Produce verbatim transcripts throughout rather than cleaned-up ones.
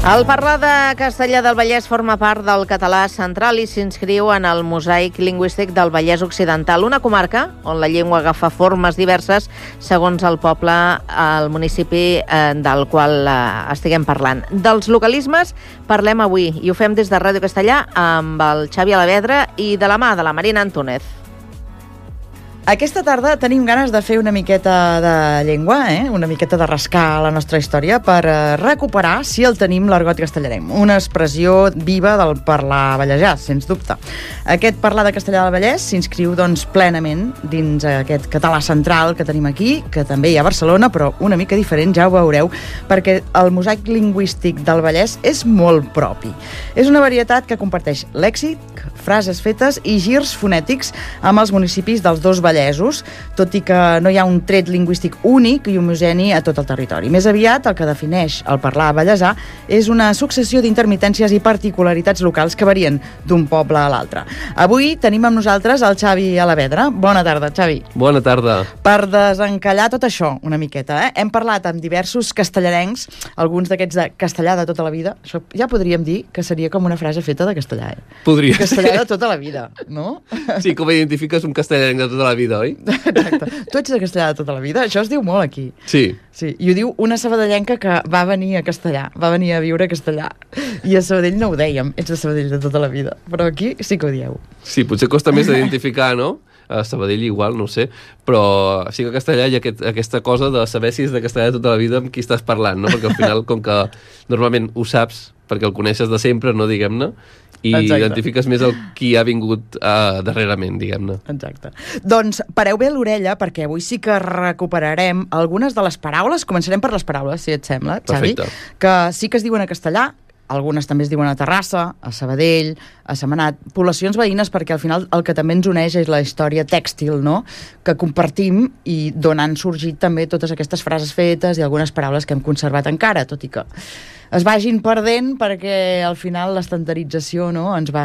El parlar de castellà del Vallès forma part del català central i s'inscriu en el mosaic lingüístic del Vallès Occidental, una comarca on la llengua agafa formes diverses segons el poble, el municipi eh, del qual eh, estiguem parlant. Dels localismes parlem avui i ho fem des de Ràdio Castellà amb el Xavi Alavedra i de la mà de la Marina Antúnez. Aquesta tarda tenim ganes de fer una miqueta de llengua, eh? una miqueta de rascar la nostra història per eh, recuperar, si el tenim, l'argot castellarem. Una expressió viva del parlar vallesà, sens dubte. Aquest parlar de castellà del Vallès s'inscriu doncs, plenament dins aquest català central que tenim aquí, que també hi ha a Barcelona, però una mica diferent, ja ho veureu, perquè el mosaic lingüístic del Vallès és molt propi. És una varietat que comparteix lèxic, frases fetes i girs fonètics amb els municipis dels dos vallesos, tot i que no hi ha un tret lingüístic únic i homogeni a tot el territori. Més aviat, el que defineix el parlar vallesà és una successió d'intermitències i particularitats locals que varien d'un poble a l'altre. Avui tenim amb nosaltres el Xavi Alavedra. Bona tarda, Xavi. Bona tarda. Per desencallar tot això una miqueta, eh? hem parlat amb diversos castellarencs, alguns d'aquests de castellà de tota la vida. Això ja podríem dir que seria com una frase feta de castellà. Eh? Podria castellà ser. de tota la vida, no? Sí, com identifiques un castellanc de tota la vida, oi? Exacte. Tu ets de castellà de tota la vida? Això es diu molt aquí. Sí. Sí, i ho diu una sabadellenca que va venir a Castellà, va venir a viure a Castellà. I a Sabadell no ho dèiem, ets de Sabadell de tota la vida. Però aquí sí que ho dieu. Sí, potser costa més d'identificar, no? A Sabadell igual, no ho sé, però sí que a Castellà hi ha aquest, aquesta cosa de saber si és de Castellà de tota la vida amb qui estàs parlant, no? Perquè al final, com que normalment ho saps, perquè el coneixes de sempre, no, diguem-ne, i Exacte. identifiques més el qui ha vingut uh, darrerament, diguem-ne. Exacte. Doncs pareu bé l'orella, perquè avui sí que recuperarem algunes de les paraules. Començarem per les paraules, si et sembla, Xavi. Perfecte. Que sí que es diuen a castellà, algunes també es diuen a Terrassa, a Sabadell, a Sentmenat, poblacions veïnes, perquè al final el que també ens uneix és la història tèxtil, no?, que compartim i d'on han sorgit també totes aquestes frases fetes i algunes paraules que hem conservat encara, tot i que es vagin perdent perquè al final l'estandarització, no?, ens va,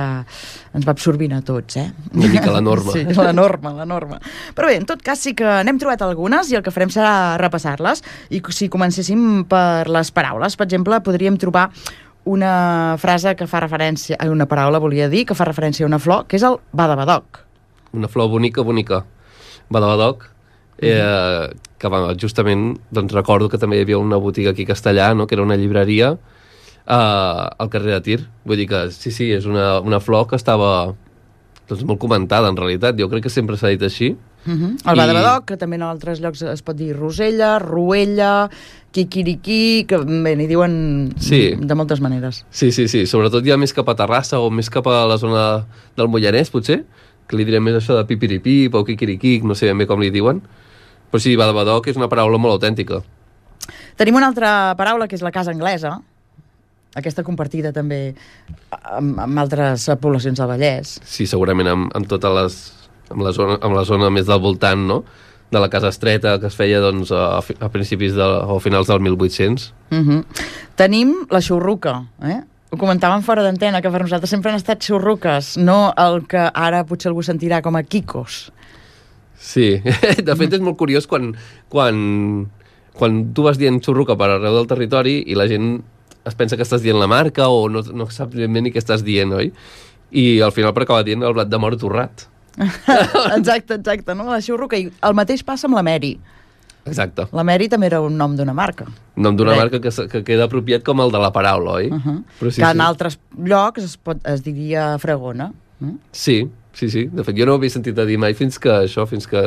ens va absorbint a tots, eh? Una mica la norma. Sí, la norma, la norma. Però bé, en tot cas sí que n'hem trobat algunes i el que farem serà repassar-les. I si comencéssim per les paraules, per exemple, podríem trobar una frase que fa referència, una paraula volia dir, que fa referència a una flor, que és el badabadoc. Una flor bonica, bonica. Badabadoc, eh, que va, justament doncs, recordo que també hi havia una botiga aquí a Castellà, no?, que era una llibreria eh, al carrer de Tir. Vull dir que sí, sí, és una, una flor que estava doncs, molt comentada, en realitat. Jo crec que sempre s'ha dit així. Uh -huh. El badabadoc, que també en altres llocs es pot dir rosella, ruella, quiquiriquí, que bé, n'hi diuen sí. de moltes maneres. Sí, sí, sí. Sobretot ja més cap a Terrassa o més cap a la zona del Moianès, potser, que li direm més això de pipiripip o quiquiriquic, no sé ben bé com li diuen. Però sí, badabadoc és una paraula molt autèntica. Tenim una altra paraula, que és la casa anglesa, aquesta compartida també amb, amb altres poblacions del Vallès. Sí, segurament amb, amb totes les... amb la, zona, amb la zona més del voltant, no?, de la casa estreta, que es feia doncs, a, a principis de, o a finals del mil vuit-cents. Uh -huh. Tenim la xurruca, eh? Ho comentàvem fora d'antena, que per nosaltres sempre han estat xurruques, no el que ara potser algú sentirà com a quicos. Sí, de fet és molt curiós quan, quan, quan tu vas dient xurruca per arreu del territori i la gent es pensa que estàs dient la marca o no, no saps ben bé ni què estàs dient, oi? I al final per acabar dient el blat de moro torrat. Exacte, exacte, no? La xurruca. I el mateix passa amb la Mary. Exacte. La Mary també era un nom d'una marca. Nom d'una marca que, que queda apropiat com el de la paraula, oi? Uh -huh. Però sí, que sí. en altres llocs es, pot, es diria fregona. Mm? Sí, sí, sí. De fet, jo no ho havia sentit a dir mai fins que això, fins que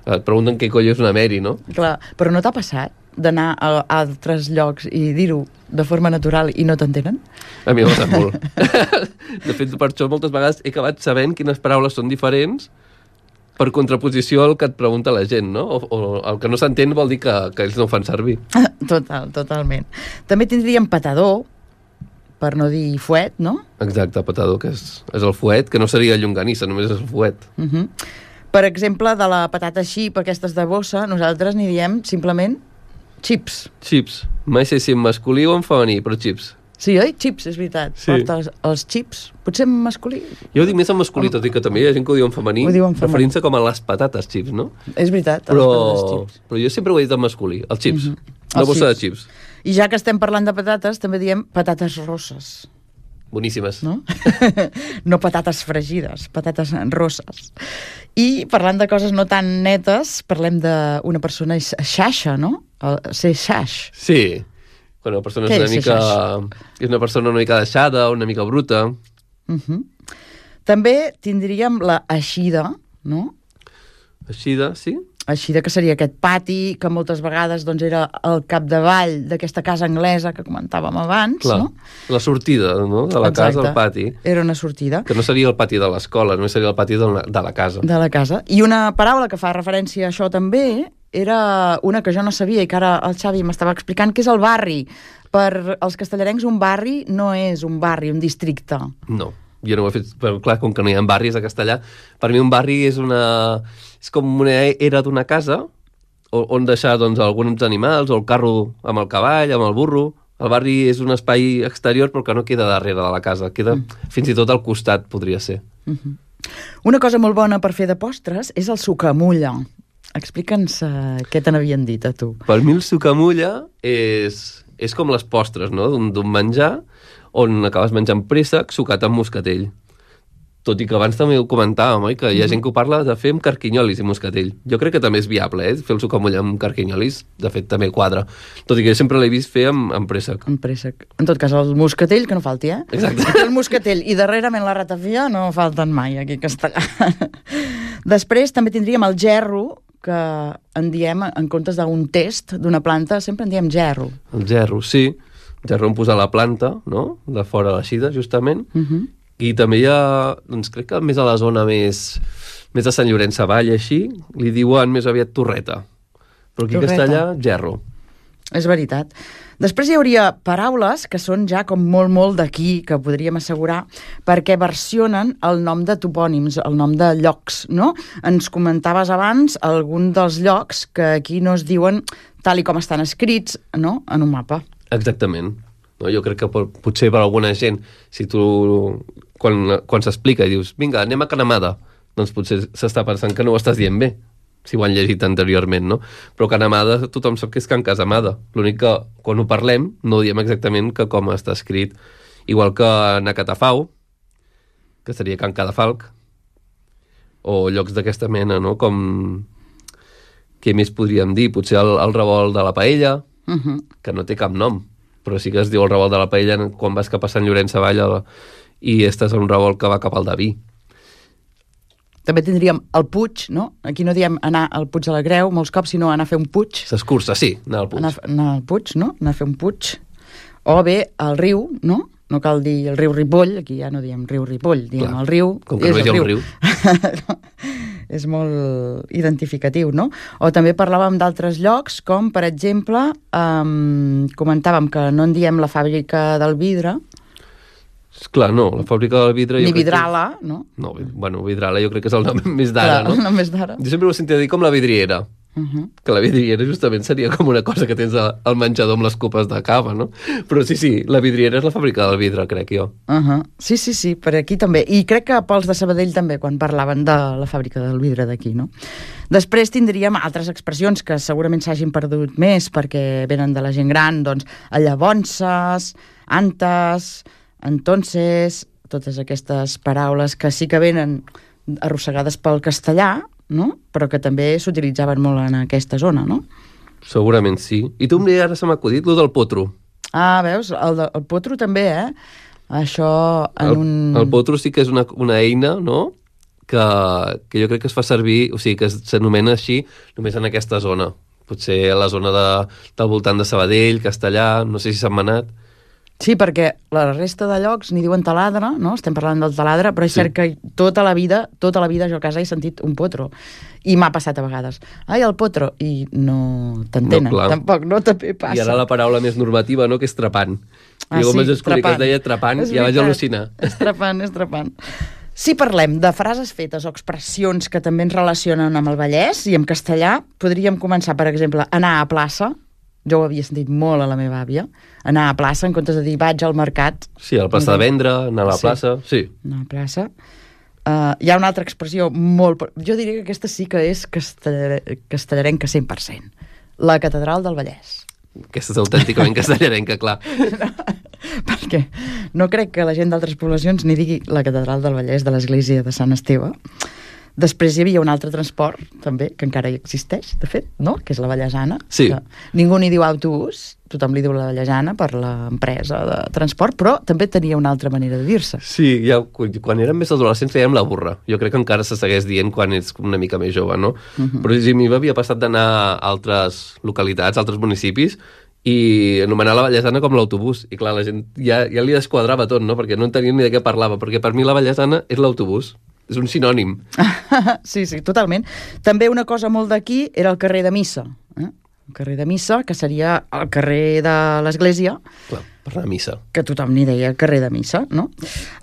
et pregunten què coll és una Mary, no? Clar, però no t'ha passat d'anar a altres llocs i dir-ho de forma natural i no t'entenen? A mi m'ha passat molt. De fet, per això moltes vegades he acabat sabent quines paraules són diferents per contraposició al que et pregunta la gent, no? O, o el que no s'entén vol dir que, que ells no ho fan servir. Total, totalment. També tindríem patador, per no dir fuet, no? Exacte, patador, que és, és el fuet, que no seria llonganissa, només és el fuet. Uh -huh. Per exemple, de la patata xip, aquestes de bossa, nosaltres n'hi diem simplement xips. Xips. Mai sé si en masculí o en femení, però xips. Sí, oi? Xips, és veritat. Sí. Porta els, els xips. Potser en masculí. Jo ho dic més en masculí, tot i que també hi ha gent que ho diu en femení, Ho diu en femení. referint-se com a les patates xips, no? És veritat. Però, les patates xips. però jo sempre ho he dit en masculí, els xips. Mhm. Una Els bossa de xips. xips. I ja que estem parlant de patates, també diem patates rosses. Boníssimes. No? No patates fregides, patates rosses. I parlant de coses no tan netes, parlem d'una persona xaixa, no? El, ser xaix. Sí. Bueno, la persona és una mica... És una persona una mica deixada, una mica bruta. Uh-huh. També tindríem la eixida, no? Eixida, sí. Eixida, que seria aquest pati que moltes vegades doncs, era el capdavall d'aquesta casa anglesa que comentàvem abans. Clar, no? La sortida, no?, de la Exacte. casa al pati. Era una sortida. Que no seria el pati de l'escola, només seria el pati de la, de la casa. De la casa. I una paraula que fa referència a això també era una que jo no sabia i que ara el Xavi m'estava explicant, que és el barri. Per als castellarencs un barri no és un barri, un districte. No, jo no ho he fet, però clar, com que no hi ha barris a castellà, per mi un barri és una... és com una era d'una casa on deixar doncs, alguns animals, o el carro amb el cavall, amb el burro. El barri és un espai exterior però que no queda darrere de la casa, queda mm. fins i tot al costat, podria ser. Mm-hmm. Una cosa molt bona per fer de postres és el sucamulla. Explica'ns uh, què te n'havien dit a tu. Per mi el sucamulla és, és com les postres, no?, d'un menjar on acabes menjant préssec sucat amb moscatell. Tot i que abans també ho comentàvem, oi? Que hi ha gent que ho parla de fer amb carquinyolis i moscatell. Jo crec que també és viable, eh? Fer el sucamulla amb carquinyolis, de fet, també quadra. Tot i que jo sempre l'he vist fer amb, amb préssec. Amb préssec. En tot cas, el moscatell, que no falti, eh? Exacte. El moscatell i darrerament la ratafia no falten mai aquí a Castellà. Després també tindríem el gerro, que en diem, en comptes d'un test d'una planta, sempre en diem gerro. El gerro, sí. El gerro on posar la planta, no?, de fora l'eixida, justament. Uh -huh. I també hi ha, doncs crec que més a la zona més, més de Sant Llorenç Savall, així, li diuen més aviat torreta. Però aquí a Castellà, gerro. És veritat. Després hi hauria paraules que són ja com molt, molt d'aquí, que podríem assegurar, perquè versionen el nom de topònims, el nom de llocs, no? Ens comentaves abans algun dels llocs que aquí no es diuen tal i com estan escrits, no?, en un mapa. Exactament. No, jo crec que potser per alguna gent, si tu, quan, quan s'explica i dius, vinga, anem a Canamada, doncs potser s'està pensant que no ho estàs dient bé, si ho han llegit anteriorment, no? Però Canamada tothom sap que és Can Casamada. L'únic que, quan ho parlem, no ho diem exactament que com està escrit. Igual que Nacatafau, que seria Can Cadafalc, o llocs d'aquesta mena, no? Com... Què més podríem dir? Potser el, el revolt de la Paella, uh-huh. que no té cap nom, però sí que es diu el revolt de la Paella quan vas cap a Sant Llorenç Savall i estàs a un revolt que va cap al Daví. També tindríem el Puig, no? Aquí no diem anar al Puig de la Creu molts cops, sinó anar a fer un Puig. S'escurça, sí, anar al Puig. Anar, anar al Puig, no? Anar a fer un Puig. O bé al riu, no? No cal dir el riu Ripoll, aquí ja no diem riu Ripoll, diem Clar, el riu. Com que no és el riu. riu. És molt identificatiu, no? O també parlàvem d'altres llocs, com, per exemple, um, comentàvem que no en diem la fàbrica del vidre. Clar, no, la fàbrica del vidre... Ni Vidrala, que... no? No, bueno, Vidrala jo crec que és el nom més d'ara, no? El nom més d'ara. Jo sempre ho sentia dir com la vidriera. Uh -huh. Que la vidriera justament seria com una cosa que tens al menjador amb les copes de cava, no? Però sí, sí, la vidriera és la fàbrica del vidre, crec jo. Uh -huh. Sí, sí, sí, per aquí també. I crec que pels de Sabadell també, quan parlaven de la fàbrica del vidre d'aquí, no? Després tindríem altres expressions que segurament s'hagin perdut més perquè venen de la gent gran, doncs, llavonses, antes, entonces, totes aquestes paraules que sí que venen arrossegades pel castellà, no? Però que també s'utilitzaven molt en aquesta zona, no? Segurament sí. I tu ara se m'ha acudit lo del potro. Ah, veus? El, de, el potro també, eh? Això en el, un... El potro sí que és una, una eina, no?, que, que jo crec que es fa servir, o sigui, que s'anomena així només en aquesta zona. Potser a la zona de, del voltant de Sabadell, Castellà, no sé si s'han manat. Sí, perquè la resta de llocs n'hi diuen taladre, no? Estem parlant del taladre, però és sí. cert que tota la vida, tota la vida jo a casa he sentit un potro. I m'ha passat a vegades. Ai, el potro! I no t'entenen, no, tampoc, no també passa. I ara la paraula més normativa, no?, que és trepant. Ah, I com sí, vaig descobrir trepant. que es deia trepant, és ja vaig al·lucinar. És trepant, és trepant. Si parlem de frases fetes o expressions que també ens relacionen amb el Vallès i amb castellà, podríem començar, per exemple, anar a plaça. Jo ho havia sentit molt a la meva àvia, anar a plaça en comptes de dir vaig al mercat. Sí, a la plaça de vendre, anar a la sí. plaça, sí. Anar a la plaça. Uh, hi ha una altra expressió molt... Jo diria que aquesta sí que és castellar... castellarenca cent per cent. La catedral del Vallès. Aquesta és autènticament castellarenca, clar. No, perquè no crec que la gent d'altres poblacions ni digui la catedral del Vallès de l'església de Sant Esteve. Després hi havia un altre transport, també, que encara hi existeix, de fet, no? Que és la Vallesana. Sí. Ningú n'hi diu autobús, tothom li diu la Vallesana per l'empresa de transport, però també tenia una altra manera de dir-se. Sí, ja, quan érem més adolescents fèiem la burra. Jo crec que encara se segueix dient quan ets una mica més jove, no? Uh -huh. Però a mi m'havia passat d'anar a altres localitats, a altres municipis, i anomenar la Vallesana com l'autobús. I clar, la gent ja, ja li desquadrava tot, no? Perquè no entenien ni de què parlava, perquè per mi la Vallesana és l'autobús. És un sinònim. Sí, sí, totalment. També una cosa molt d'aquí era el carrer de Missa. Eh? El carrer de Missa, que seria el carrer de l'Església. Clar, per anar a missa. Que tothom n'hi deia carrer de Missa, no?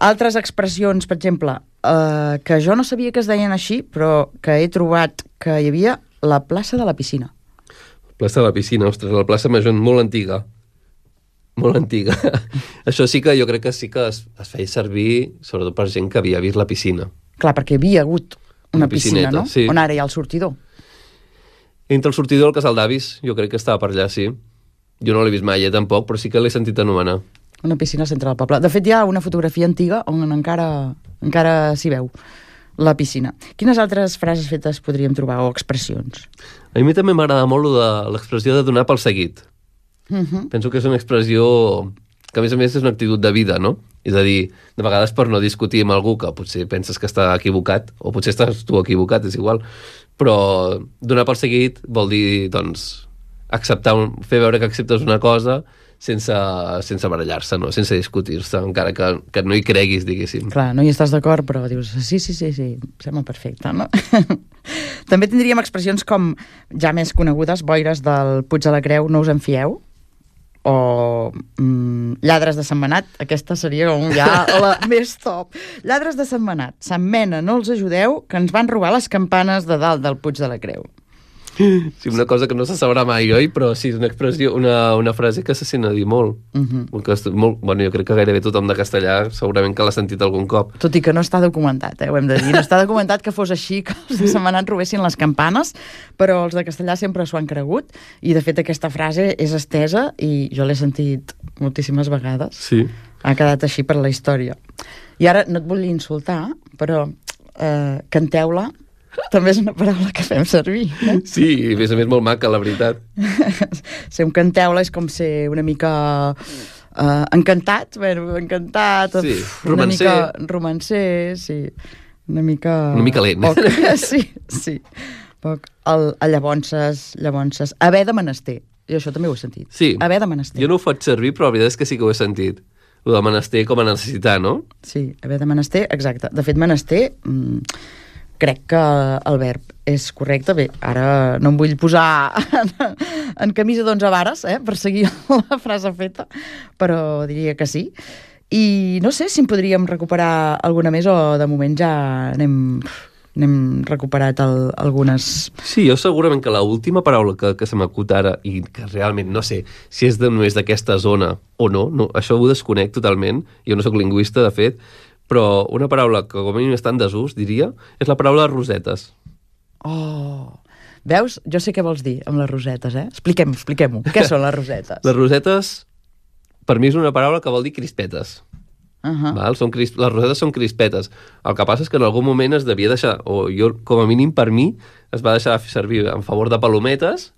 Altres expressions, per exemple, eh, que jo no sabia que es deien així, però que he trobat que hi havia la plaça de la piscina. Plaça de la piscina, ostres, la plaça Major, molt antiga. Molt antiga. Això sí que jo crec que sí que es, es feia servir, sobretot per gent que havia vist la piscina. Clar, perquè hi havia hagut una, una piscina, no? Sí. On ara hi ha el sortidor. Entre el sortidor i el Casal d'Avis, jo crec que estava per allà, sí. Jo no l'he vist mai, eh, tampoc, però sí que l'he sentit anomenar. Una piscina al centre del poble. De fet, hi ha una fotografia antiga on encara, encara s'hi veu la piscina. Quines altres frases fetes podríem trobar, o expressions? A mi també m'agrada molt de l'expressió de donar pel seguit. Uh -huh. Penso que és una expressió que a més a més és una actitud de vida, no? És a dir, de vegades per no discutir amb algú que potser penses que està equivocat, o potser estàs tu equivocat, és igual, però donar per seguit vol dir, doncs, acceptar un, fer veure que acceptes una cosa sense, sense barallar-se, no? Sense discutir-se, encara que, que no hi creguis, diguéssim. Clar, no hi estàs d'acord, però dius, sí, sí, sí, sí, sembla perfecte, no? També tindríem expressions com, ja més conegudes, boires del Puig de la Creu, no us en fieu, o mm, lladres de Sant Manat, aquesta seria com ja la més top. Lladres de Sant Manat, Sant Mena, no els ajudeu, que ens van robar les campanes de dalt del Puig de la Creu. Sí, una cosa que no se sabrà mai, oi? Però sí, és una expressió, una, una frase que se sent a dir molt. Uh -huh. que, molt. Bueno, jo crec que gairebé tothom de castellà segurament que l'ha sentit algun cop. Tot i que no està documentat, eh? Ho hem de dir. No està documentat que fos així, que els de Sant Manat robessin les campanes, però els de castellà sempre s'ho han cregut, i de fet aquesta frase és estesa i jo l'he sentit moltíssimes vegades. Sí. Ha quedat així per la història. I ara no et vull insultar, però eh, canteu-la també és una paraula que fem servir. Eh? Sí, i a més a més molt maca, la veritat. Ser un canteu-la és com ser una mica uh, encantat, bueno, encantat, sí, uf, una romancer. mica romancer, sí, una mica... Una mica lent. Poc, sí, sí. Poc. El, el llavonses, llavonses, haver de menester. I això també ho he sentit. Sí. Haver de menester. Jo no ho faig servir, però la veritat és que sí que ho he sentit. Lo de menester com a necessitar, no? Sí, haver de menester, exacte. De fet, menester... Mm, crec que el verb és correcte. Bé, ara no em vull posar en, en camisa d'onze vares, eh, per seguir la frase feta, però diria que sí. I no sé si en podríem recuperar alguna més o de moment ja n'hem, n'hem recuperat el, algunes... Sí, jo segurament que l'última paraula que, que se m'acut ara, i que realment no sé si és de, només d'aquesta zona o no, no, això ho desconec totalment, jo no sóc lingüista, de fet, però una paraula que com a mínim està en desús, diria, és la paraula rosetes. Oh, veus? Jo sé què vols dir amb les rosetes, eh? Expliquem, expliquem-ho. Què són les rosetes? Les rosetes, per mi és una paraula que vol dir crispetes. Uh -huh. Val? Són crisp... Les rosetes són crispetes. El que passa és que en algun moment es devia deixar, o jo, com a mínim per mi, es va deixar de fer servir en favor de palometes,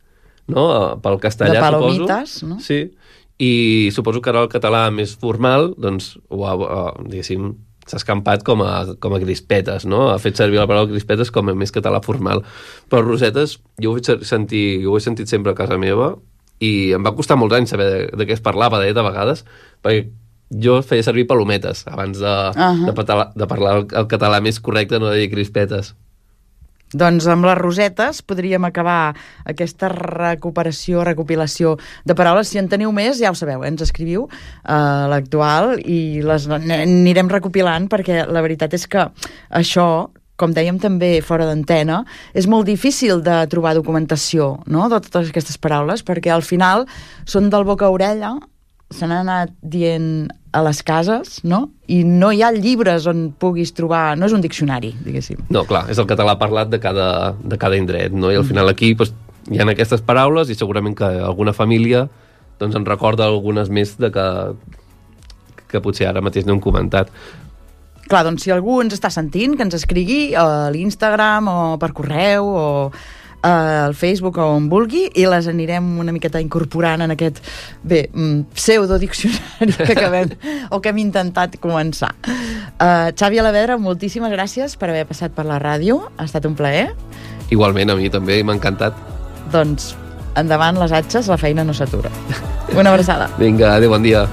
no? Pel castellà, de palomites, suposo. No? Sí. I suposo que ara el català més formal, doncs, ho ha, uh, diguéssim, s'ha escampat com a, com a crispetes, no? Ha fet servir la paraula crispetes com a més català formal. Però rosetes, jo ho he sentit, jo ho he sentit sempre a casa meva i em va costar molts anys saber de, de què es parlava, de, de vegades, perquè jo feia servir palometes abans de, uh -huh. de, parlar, de parlar el, el català més correcte, no de dir crispetes. Doncs amb les rosetes podríem acabar aquesta recuperació, recopilació de paraules. Si en teniu més, ja ho sabeu, eh? Ens escriviu a l'actual i les anirem recopilant, perquè la veritat és que això, com dèiem també fora d'antena, és molt difícil de trobar documentació, no?, de totes aquestes paraules, perquè al final són del boca a orella, se n'han anat dient a les cases, no? I no hi ha llibres on puguis trobar... No és un diccionari, diguéssim. No, clar, és el català parlat de cada, de cada indret, no? I al final aquí doncs, hi ha aquestes paraules i segurament que alguna família doncs en recorda algunes més de que, que potser ara mateix no hem comentat. Clar, doncs si algú ens està sentint, que ens escrigui a l'Instagram o per correu o al Facebook o on vulgui, i les anirem una miqueta incorporant en aquest, bé, pseudodiccionari que acabem o que hem intentat començar. Uh, Xavi Alavedra, moltíssimes gràcies per haver passat per la ràdio, ha estat un plaer. Igualment, a mi també m'ha encantat. Doncs endavant les atxes, la feina no s'atura. Una abraçada. Vinga, adéu, bon dia.